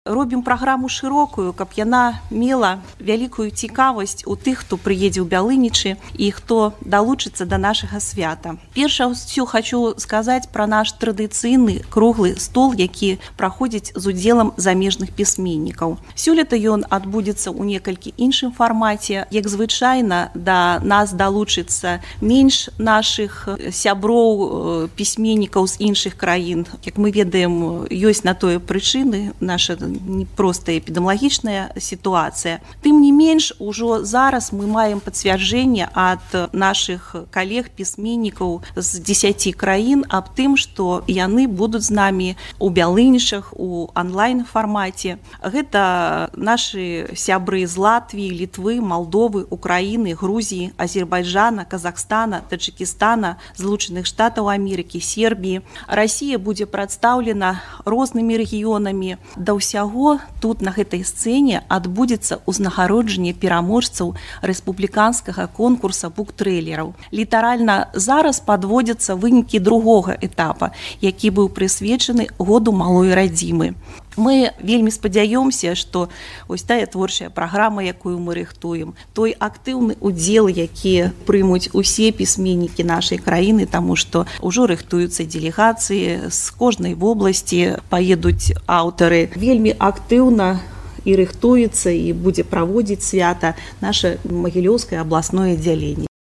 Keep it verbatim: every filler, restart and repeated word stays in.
Робім праграму шырокую, каб яна мела вялікую цікавасць у тых, хто прыедзе ў Бялынічы і хто далучыцца да нашага свята. Перш усё хочу сказаць пра наш традыцыйны круглы стол, які праходзіць з удзелам замежных пісьменнікаў. Сёлета ён адбудзецца ў некалькі іншым фармаце. Як звычайна, да нас далучыцца менш нашых сяброў пісьменнікаў з іншых краін. Як мы ведаем, ёсць на тое прычыны, наша непростая эпідэміялагічная сітуацыя. Тым не менш, ужо зараз мы маем пацвярджэнне ад нашых калег-пісьменнікаў з дзесяці краін аб тым, што яны будуць з намі у Бялынічах, у онлайн-фармаце. Гэта нашы сябры з Латвіі, Літвы, Малдовы, Украіны, Грузіі, Азербайджана, Казахстана, Таджикістана, Злучаных Штатаў Амерыкі, Сербіі. Расія будзе прадстаўлена рознымі рэгіёнамі. Да ўсяго тут на гэтай сцэне адбудзецца ўзнагароджанне пераможцаў рэспубліканскага конкурса буктрэйлераў. Літаральна зараз падводзяцца вынікі другога этапа, які быў прысвечаны году малой радзімы. Мы вельмі спадзяёмся, што ось тая творчая праграма, якую мы рыхтуем, той актыўны удзел, які прымуць усе пісьменнікі нашай краіны, таму што ўжо рыхтуюцца дэлегацыі з кожнай вобласці, паедуць аўтары. Вельмі актыўна і рыхтуецца, і будзе праводзіць свята наша Магілёўскае абласное аддзяленне.